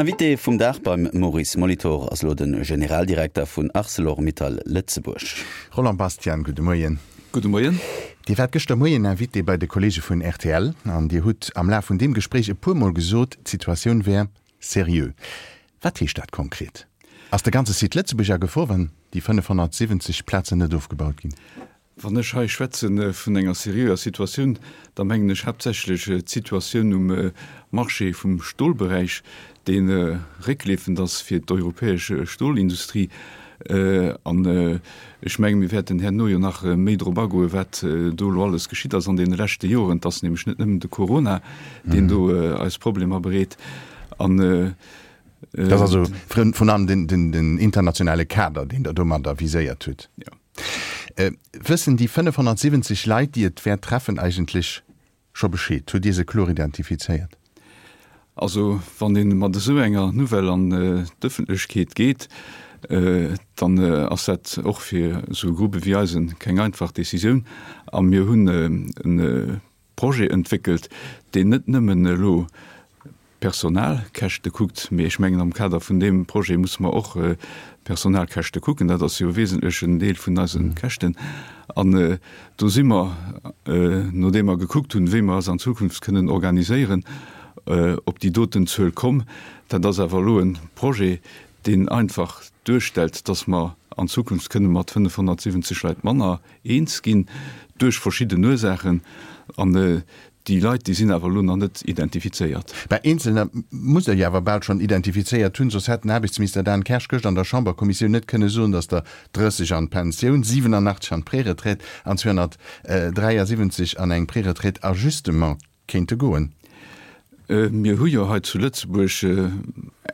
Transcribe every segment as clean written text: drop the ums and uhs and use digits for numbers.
Invité vum Dag beim Maurice Molitor ass elo de Generaldirekter vun Arcelor-Mittal Lëtzebuerg. Roland Bastian, gudde Moien. Gudde Moien. Dir waart gëschter Moien Invité bei de Kollege vun rtl an Dir hutt am Laf vun deem Gespréich e puer Mol gesot, d'Situatioun wär seriö. Wat heescht dat konkret? Ass de ganze Site Lëtzebuerg a Gefor, wann déi 570 Plazen net ofgebaut ginn? Wann ech hei schwätze vun enger seriöer Situatioun, da mengen ech haaptsächlech d'Situatioun um Marché vum Stolberäich, dee réckleefend ass fir d'europäesch Stolindustrie. An ech menge mir wäerten herno jo nach méi drop agoen, wat do elo alles geschitt ass an deene leschte Joren. Et ass nämlech net nëmmen de Corona, deen do eis Problemer bereet. An Dat ass also vrun allem den internationale Kader, deen Der domadder viséiert hutt. Jo. Wëssen déi 570 Leit, déi et wäert treffen, eigentlech scho Bescheed? Hutt Dir se kloer identifizéiert? Also, wann ee mat esou enger Nouvelle an d'Ëffentlechkeet geet, dann ass dat och fir esou e Groupe wéi eisen keng einfach Decisioun. A mir hunn e Projet entwéckelt, deen net nëmmen elo d'Personalkäschte kuckt, mee ech mengen, am Kader vun deem Projet musse mer och d'Personalkäschte kucken, dat ass jo e wesentlechen Deel vun eise Käschten. An do si mer, nodeem mer gekuckt hunn, wéi mer eis an Zukunft kënnen organiséieren, op déi doten Zuel komm. Dat ass awer elo e Projet, deen einfach duerstellt, dass mer an Zukunft kënne mat 570 Leit manner eens ginn, duerch verschidden Ursaachen. An déi Leit, déi sinn awer elo nach net identifizéiert. Mä Eenzelner musst Der jo awer bal schonn identifizéiert hunn, soss hätt den Aarbechtsminister Dan Kersch gëscht an der Chamberkommissioun net kënne soen, datt der 30 an d'Pensioun, 87 an d'Preretraite an 273 an eng Preretraite à justement kéinte goen. Mir hu jo hei zu Lëtzebuerg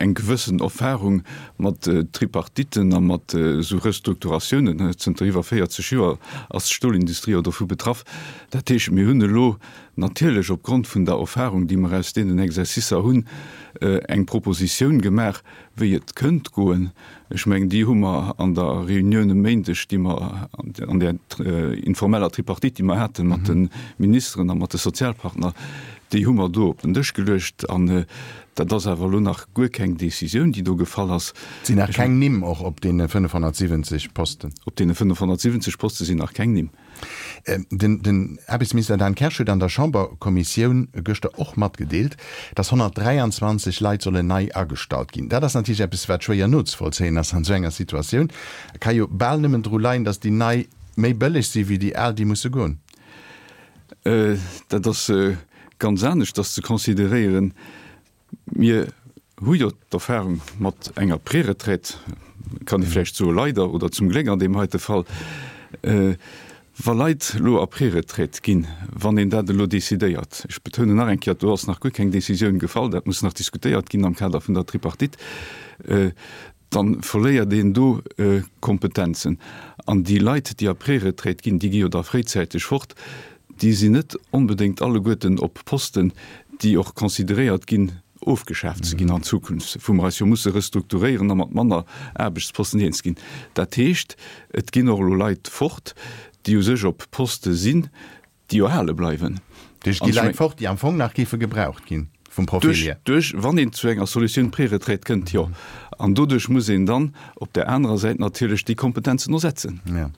eng gewëssen Erfahrung mat Tripartiten a mat esou Restrukturatiounen. Zënter iwwer 40 Joer ass d'Stolindustrie jo dovu betraff. Dat heescht, mir hunn elo natierlech opgrond vun der Erfahrung, déi mer aus deenen Exercicer hunn, eng Propositioun gemaach, wéi et kënnt goen. Ech mengen, déi hu mer an der Reunioun e Méindeg, déi mer an där informeller Tripartite, déi mer hate mat de Ministeren a mat de Sozialpartner, déi hu mer do op den Dësch geluecht. An dat ass awer elo nach guer keng Décisioun, déi do gefall ass. Et sinn nach keng Nimm och op deene 570 Posten? Op deene 570 Poste sinn nach keng Nimm. Den Aarbechtsminister Dan Kersch huet an der Chamberkommissioun gëschter och matgedeelt, datt 123 Leit sollen nei agestallt ginn. Dat ass natierlech eppes, wat schwéier nozevollzéien ass an esou enger Situatioun. Et ka jo bal nëmmen dru leien, datt déi nei méi bëlleg si wéi déi al, déi musse goen. Dat ass ganz aneschters ze consideréieren. Mir hu jo d'Erfahrung mat enger Préretraite, kann ee vläicht soe leider oder zum Gléck an deem heite Fall. Wa Leit elo a Préretraite ginn, wann een dat elo decidéiert, ech betounen nach eng Kéier, do ass nach guer keng Décisioun gefall, dat muss nach diskutéiert ginn am Kader vun der Tripartite, da verléiert een do Kompetenzen. An déi Leit, déi a Préretraite ginn, déi gi jo da fréizäiteg fort, déi sinn net onbedéngt alleguerten op Posten, déi och consideréiert ginn, ofgeschaaft ze ginn an Zukunft, wou mer eis jo musse restrukturéieren a mat manner Aarbechtsposten eens ginn. Dat heescht, et ginn och elo Leit fort, déi u sech op Poste sinn, déi jo hale bleiwen. Duerch gi Leit fort, déi am Fong nach géife gebraucht ginn, vum Profil hier. Duerch, wann een zu enger Solutioun Préretraite kënnt, jo. An doduerch muss een dann op där anerer Säit natierlech déi Kompetenzen ersetzen. Jo.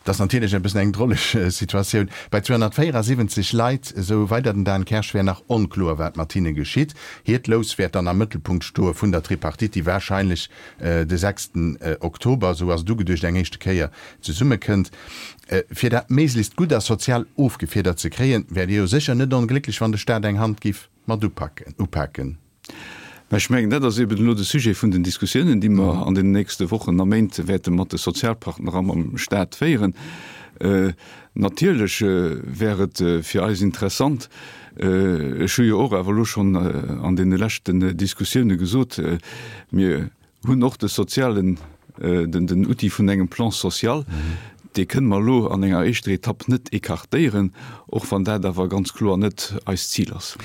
Dat ass natierlech e bëssen eng droleg Situatioun. Bei 274 Leit, esou weider den Dan Kersch, wär nach onkloer, wat mat hinne geschitt. Hiert Lous wäert dann am Mëttelpunkt stoe vun der Tripartite, déi warscheinlech de sechsten Oktober, esou ass et ugeduecht, eng éischte Kéier zesummekënnt. Fir dat méiglechst gutt a sozial ofgefiedert ze kréien, wäert Dir jo sécher net onglécklech, wann de Staat eng Hand giff mat upaken. Mä ech mengen, dat ass eben elo de Sujet vun den Diskussiounen, déi mer an den nächste Wochen a Méint wäerte mat de Sozialpartner a mam Stat féieren. Natierlech wär et fir eis interessant, ech hu jo och awer elo schonn an deene leschten Diskussioune gesot, mir hunn och de sozialen, den Outil vun engem Plan social, dee kënne mer elo an enger éischter Etapp net écartéieren, och wann dat awer ganz kloer net eist Zil ass.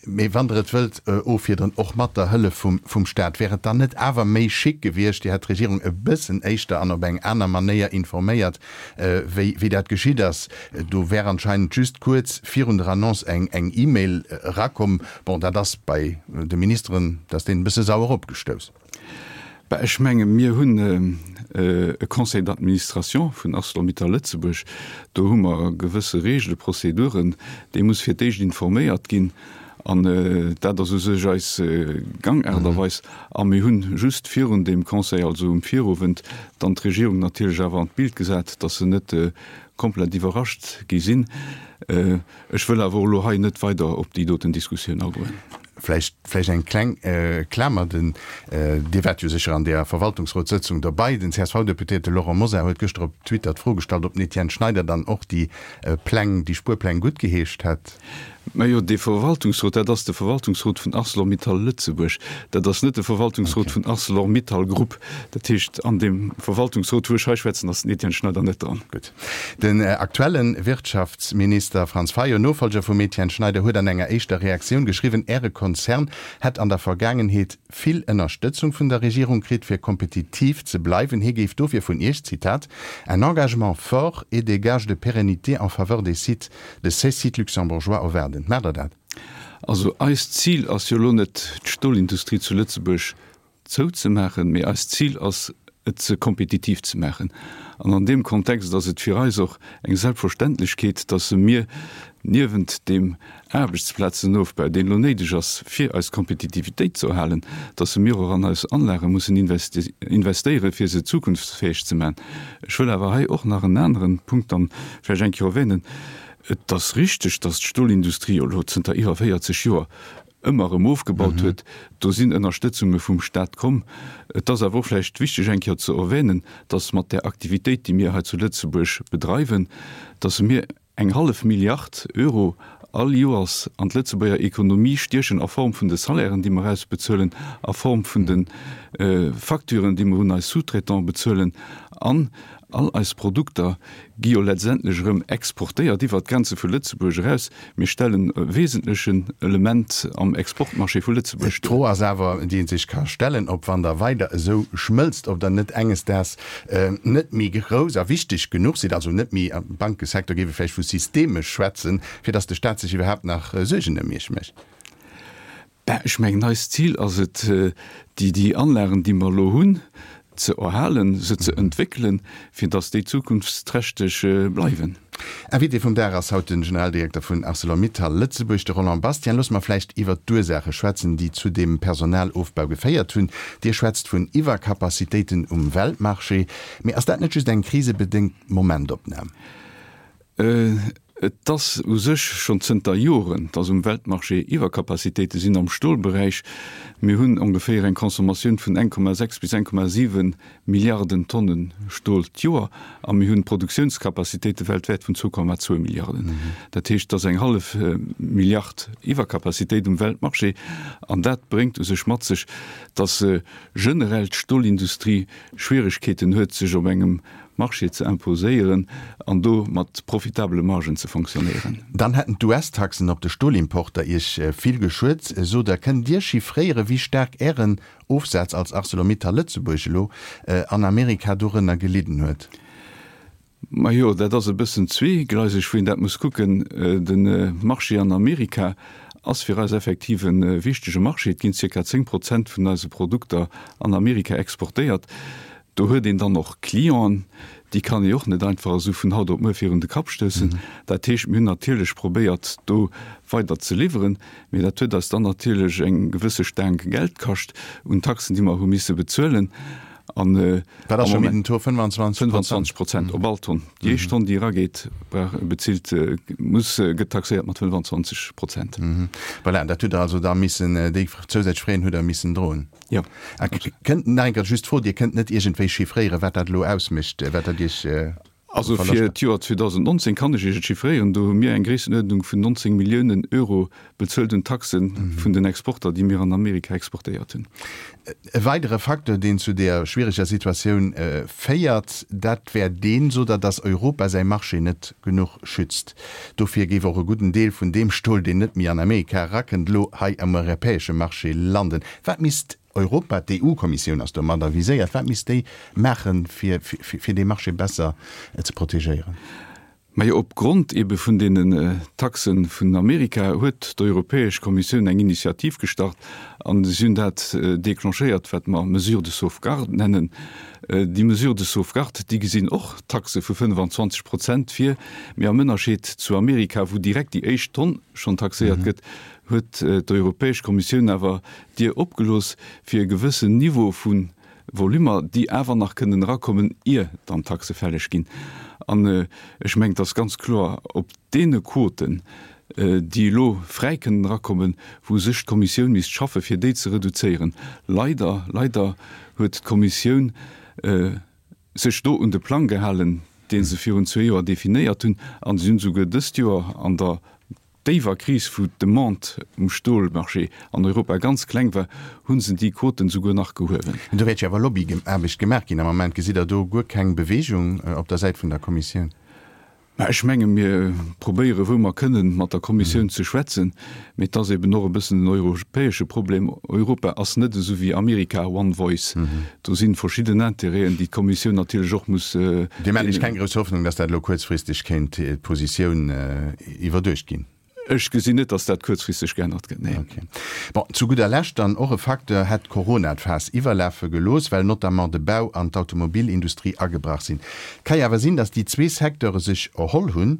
Mee wann Der et wëllt offiederen, och mat der Hëllef vum Stat, wär et dann net awer méi chic gewiescht, Dir hätt d'Regierung e bëssen éischter an op eng aner Manéier informéiert, wéi dat geschitt ass? Do wär anscheinend just kuerz virun der Annonce eng E-Mail erakomm. Bon, dat ass bei de Ministeren, dat ass deenen e bësse sauer opgestouss. Bah, ech menge mir hunn e Conseil d'administration vun Arcelor-Mittal Lëtzebuerg. Do hu mer gewësse Regele, Prozeduren. Dee muss fir d'éischt informéiert ginn. An dat ass u sech eis Gangaart a Weis. A mir hunn just virun deem Conseil, also um Virowend, dann d'Regierung natierlech awer an d'Bild gesat, datt se net komplett iwwerrascht gi sinn. Ech wëll awer och elo hei net weider op déi doten Diskussioun agoen. Vläicht, vläicht eng kleng Klamer, den, Dir waart jo sécher an deeër Verwaltungsrotssëtzung dobei, den CSV-Deputéierte Laurent Mosar huet gëschter op Twitter d'Fro gestallt, ob den Etienne Schneider dann och déi Pläng, déi Spuerpläng guttgeheescht hätt. Majo, dee Verwaltungsrot, dat ass de Verwaltungsrot vun Arcelor-Mittal Lëtzebuerg. Dat ass net de Verwaltungsrot vun Arcelor-Mittal Group. Dat heescht, an deem Verwaltungsrot, wou ech hei schwätzen, ass den Etienne Schneider net dran. Gutt. Den aktuelle Wirtschaftsminister Franz Fayot, Nofolger vum Etienne Schneider, huet an enger éischter Reaktioun geschriwwen, Äre Konzern hätt an der Vergaangenheet vill Ënnerstëtzung vun der Regierung kritt, fir kompetitiv ze bleiwen. Hie géif dofir vun Iech, Zitat, un engagement fort et des gages de pérennité en faveur des sites, de ces sites luxembourgeois erwaarden. Maacht Der dat? Also eist Zil ass jo elo net, d'Stolindustrie zu Lëtzebuerg zouzemaachen, mee eist Zil ass et se kompetitiv ze maachen. An an deem Kontext ass et fir eis och eng Selbstverständlechkeet, dass mir niewent deem Aarbechtsplazenofbau, deen elo néideg ass fir eis Kompetitivitéit ze erhalen, dass mir och an eis Anlage mussen investéieren, fir se zukunftsfäeg ze maachen. Ech wëll awer hei och nach en aneren Punkt dann vläicht eng Kéier erwänen. Et ass richteg, dass d'Stolindustrie elo zënter iwwer 40 Joer ëmmer erëm ofgebaut huet. Do sinn Ënnerstëtzunge vum Stat komm. Et ass awer och vläicht wichteg eng Kéier ze erwänen, dass mat där Aktivitéit, déi mir hei zu Lëtzebuerg bedreiwen, dass mir eng hallef Milliard Euro all Joers an d'Lëtzebuerger Ekonomie stiechen a Form vun de Salairen, déi mer ausbezuelen, a Form vun de Facturen, déi mer un eis Sous-traitants bezuelen an all eis Produkter gi jo letztendlech erëm exportéiert iwwert d'Grenze vu Lëtzebuerg eraus. Mir stellen e wesentlechen Element am Exportmarché vu Lëtzebuerg duer. D'Fro ass awer, déi ee sech ka stellen, ob wann Der weider esou schmëlzt, ob Der net enges Daags net méi grouss a wichteg genuch sidd, also net méi, am Bankesecteur géif ee vläicht vu systemesch schwätzen, fir datt de Stat sech iwwerhaapt nach Suergen ëm Iech mécht. Ben, ech mengen, eist Zil ass et, déi, déi Anlagen, déi mer elo hunn, ze erhalen, se ze entwéckelen, fir datt déi zukunftsträchteg bleiwen. Invité vum Dag ass haut de Generaldirekter vun Arcelor-Mittal Lëtzebuerg, de Roland Bastian. Loosse mer vläicht iwwert d'Ursaache schwätzen, déi zu deem Personalofbau geféiert hunn. Dir schwätzt vun Iwwercapacitéiten um Weltmarché. Mee ass dat net just eng krisebedéngt Momentopnam? Et ass u sech schonn zënter Joren, dass um Weltmarché Iwwercapacitéite sinn am Stolberäich. Mir hunn ongeféier eng Consommatioun vun 1,6 bis 1,7 Milliarden Tonne Stol d'Joer a mir hunn Produktiounscapacitéite weltwäit vun 2,2 Milliarden. Dat heescht, et ass eng hallef Milliard Iwwercapacitéit um Weltmarché an dat bréngt u sech mat sech, dass generell d'Stolindustrie Schwieregkeeten huet, sech op engem Marché ze imposéieren an do mat profitabele Margen ze fonctionnéieren. Dann hätten d'US-Taxen op de Stolimporter Iech vill geschuet, sot Der. Kënnt Dir chiffréieren, wéi staark Ären Ofsaz als Arcelor-Mittal Lëtzebuerg elo an Amerika dorënner gelidden huet? Majo, dat ass e bëssen zweegleiseg, wou een dat muss kucken. De Marché an Amerika ass fir eis effektiv e wichtege Marché. Et ginn zirka 10 Prozent vun eise Produkter an Amerika exportéiert. Do huet een dann och Clienten, déi kann ee och net einfach esou vun haut op muer virun de Kapp stoussen. Dat heescht, mir hunn natierlech probéiert, do weider ze liwweren, mee dat huet eis dann natierlech eng gewësse Staang Geld kascht un Taxen, déi mer hu misse bezuelen. An Wat ass scho méi den Taux? 25 Prozent? 25 Prozent op all Tonn. Déi éischt Tonn, déi erageet, brauch, bezilt, muss, gëtt taxéiert mat 25 Prozent. Voilà, dat hutt Der also da missen, déi zousätzlech Fräen hutt Der missen droen. Jo. A kënnt, nach eng Kéier just d'Fro, Dir kënnt net iergendwéi chiffréieren, wat dat elo ausmécht, wat dat Iech. Also fir d'Joer 2019 kann ech Iech et chiffréieren, do hu mir eng Gréissenuerdnung vun 19 Milliounen Euro bezuelt un Taxe vun den Exporter, déi mir an Amerika exportéiert hunn. E weidere Facteur, deen zu der schwiereger Situatioun féiert, dat wär deen, sot Der, datt Europa säi Marché net genuch schützt. Dofir géif och e gudden Deel vun deem Stol, deen net méi an Amerika erakënnt, elo hei am europäesche Marché landen. Wat misst Europa, d'EU-Kommissioun ass domadder viséiert, wat misst déi maachen, fir fir dee Marché besser ze protegéieren? Majo, op Grond ebe vun deenen Taxe vun Amerika huet d'Europäesch Kommissioun eng Initiativ gestart an si hunn dat déclenchéiert, wat mer Mesures de sauvegarde nennen. Déi Mesures de sauvegarde, déi gesinn och Taxe vu 25 Prozent vir, mee am Ënnerscheed zu Amerika, wou direkt déi éischt Tonn schonn taxéiert gëtt, huet d'Europäesch Kommissioun awer d'Dier opgelooss fir e gewëssen Niveau vu Volummer, déi awer nach kënnen erakommen, ier dann d'Taxe fälleg ginn. An ech mengen, et ass ganz kloer, op deene Quoten, déi elo fräi kënnen erakommen, wou sech d'Kommissioun misst schaffen, fir déi ze reduzéieren. Leider, leider huet d'Kommissioun sech do un de Plang gehalen, dee se virun zwee Joer definéiert hunn, a se hunn esouguer dëst Joer an der déiwer Kris, wou d'Demande um Stolmarché an Europa ganz kleng war, hu se déi Quoten souguer nach gehuewen. Do wäert jo awer Lobbyaarbecht gemaach ginn. Am Moment gesitt Der do guer keng Bewegung op der Säit vun der Kommissioun? Mä ech menge mir probéiere wou mer kënnen, mat der Kommissioun ze schwätzen. Mee et ass eben och e bëssen en europäesche Problem. Europa ass net esou wéi Amerika, one voice. Do si verschidden Intérêten, déi d'Kommissioun natierlech och muss. Dir maacht Iech keng grouss Hoffnung, datt dat elo kuerzfristeg kéint d'Positioun iwwerduecht ginn? Ech gesinn net, datt dat kuerzfristeg geännert gëtt, neen. Okay. Bon, zu gudder Lescht dann och e Facteur, Hätt Corona d'Faass iwwerlafe gelooss, well notamment de Bau an d'Automobilindustrie agebrach sinn. Et ka jo awer sinn, datt déi zwee Secteure sech erholl hunn,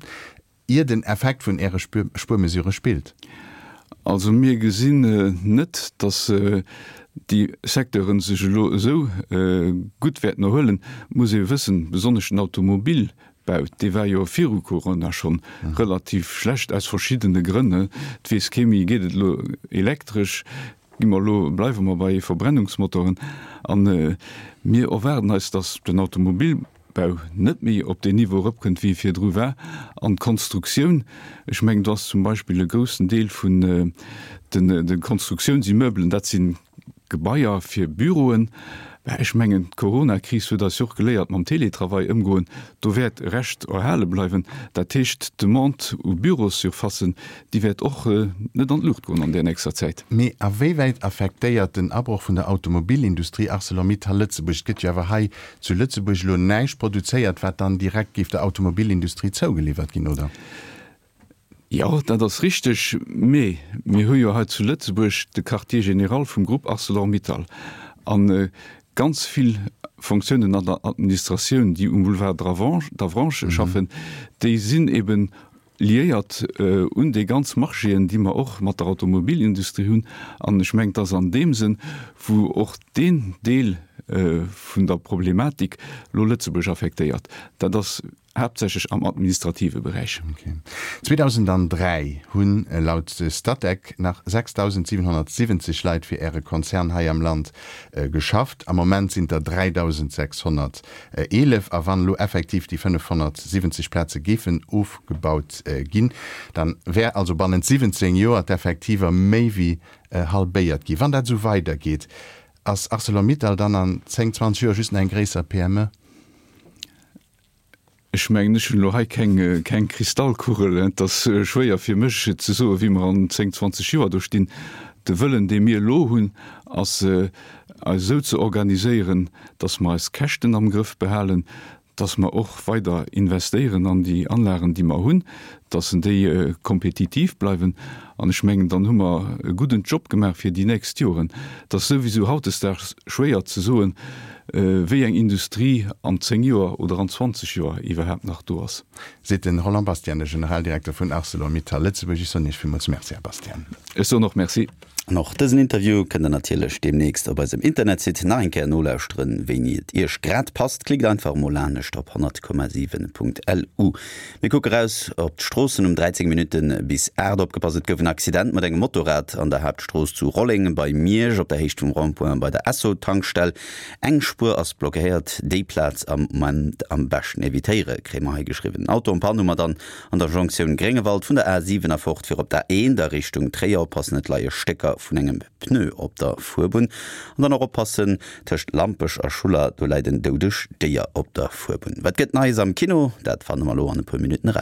ier den Effekt vun Äre Spuermesurë spillt. Also mir gesinn net, datt déi Secteure sech elo esou gutt wäerten erhuelen. Et muss ee wëssen, besonnesch den Automobil Bau, dee war jo viru Corona schonn relativ schlecht, aus verschiddene Grënn. Et weess kee méi, geet et elo elektresch, gi mer elo, bleiwe mer bei Verbrennungsmotoren? A mir erwaarden eis, datt den Automobilbau net méi op deen Niveau erëpkënnt, wéi e virdru war. An d'Konstruktioun, ech mengen, do ass zum Beispill e groussen Deel vun de Konstruktiounsimmeubelen, dat si Gebaier fir Büroen, mä ech mengen, d'Coronakris huet eis jo och geléiert, mam Teletravail ëmgoen, do wäert e Rescht erhale bleiwen. Dat heescht, d'Demande u Bürossurfacen, déi wäert och net an d'Luucht goen an där nächster Zäit. Mee a wéiwäit affektéiert den Abroch vun der Automobilindustrie Arcelor-Mittal Lëtzebuerg? Et gëtt jo awer hei zu Lëtzebuerg elo näischt produzéiert, wat dann direkt géif der Automobilindustrie zougeliwwert ginn, oder? Jo, dat ass richteg, mee mir hu jo hei zu Lëtzebuerg de Quartier général vum Grupp Arcelor-Mittal a ganz vill Fonctiounen an der Administratioun, déi um Boulevard d'Avranches schaffen, déi sinn eben liéiert un déi ganz Marchéen, déi mer och mat der Automobilindustrie hunn. An ech mengen, et ass an deem Sënn, wou och deen Deel vun der Problematik elo Lëtzebuerg affektéiert. Dat ass Haaptsächlech am administrative Beräich. 2003 hunn laut Statec nach 6.770 Leit fir Äre Konzern hei am Land geschafft. Am Moment sinn der 3.611. A wann elo effektiv déi 570 Plaze géifen ofgebaut ginn, dann wär also bannent 17 Joer d'Effektiver méi wéi halbéiert ginn. Wann dat esou weidergeet, ass Arcelor-Mittal dann an 10, 20 Joer just nach eng gréisser PME? Ech mengen, ech hunn elo hei keng, keng Kristallkugel. Et ass schwéier fir mech ze soen, wéi mer an 10, 20 Joer do stinn. De Wëllen, dee mir elo hunn, ass, eis esou ze organiséieren, datt mer eis Käschten am Grëff behalen, datt mer och weider investéieren an déi Anlagen, déi mer hunn, datt déi kompetitiv bleiwen. An ech mengen, dann hu mer e gudden Job gemaach fir déi nächst Joren. Et ass souwisou hautdesdaags schwéier ze soen, wéi eng Industrie an 10 Joer oder an 20 Joer iwwerhaapt nach do ass. Seet de Roland Bastian, de Generaldirekter vun Arcelor-Mittal Lëtzebuerg. Ech soen Iech villmools Merci, Här Bastian. Ech soen och Merci. An och dësen Interview kënnt der natierlech deemnächst op eisem Internetsite nach eng Kéier nolauschteren, wéini et iech grad passt. Klickt einfach emol lanescht op 100,7.lu. Mir kucke raus op d'Stroossen um 13 Minutte bis 8. Opgepasst, et gouf en Accident mat engem Motorrad an der Haaptstrooss zu Rolleng bei Miersch op der Héicht vum Rond-point bei der Esso-Tankstell. Eng Spuer ass blockéiert, déi Plaz am Moment am beschten evitéiere, kréie mer hei geschriwwen. En Auto en panne hu mer dann An der Jonktioun Gréngewald vun der A 7 erfort fir op d'A1 a Richtung Tréier oppassen, et leie Stécker vun engem Pneu op der Fuerbunn. An dann och oppassen, tëscht Lampech a Schuller, do läit en doudegt Déier op der Fuerbunn. Wat gëtt Neies am Kino? Dat fanne mer elo an e puer Minutten eraus.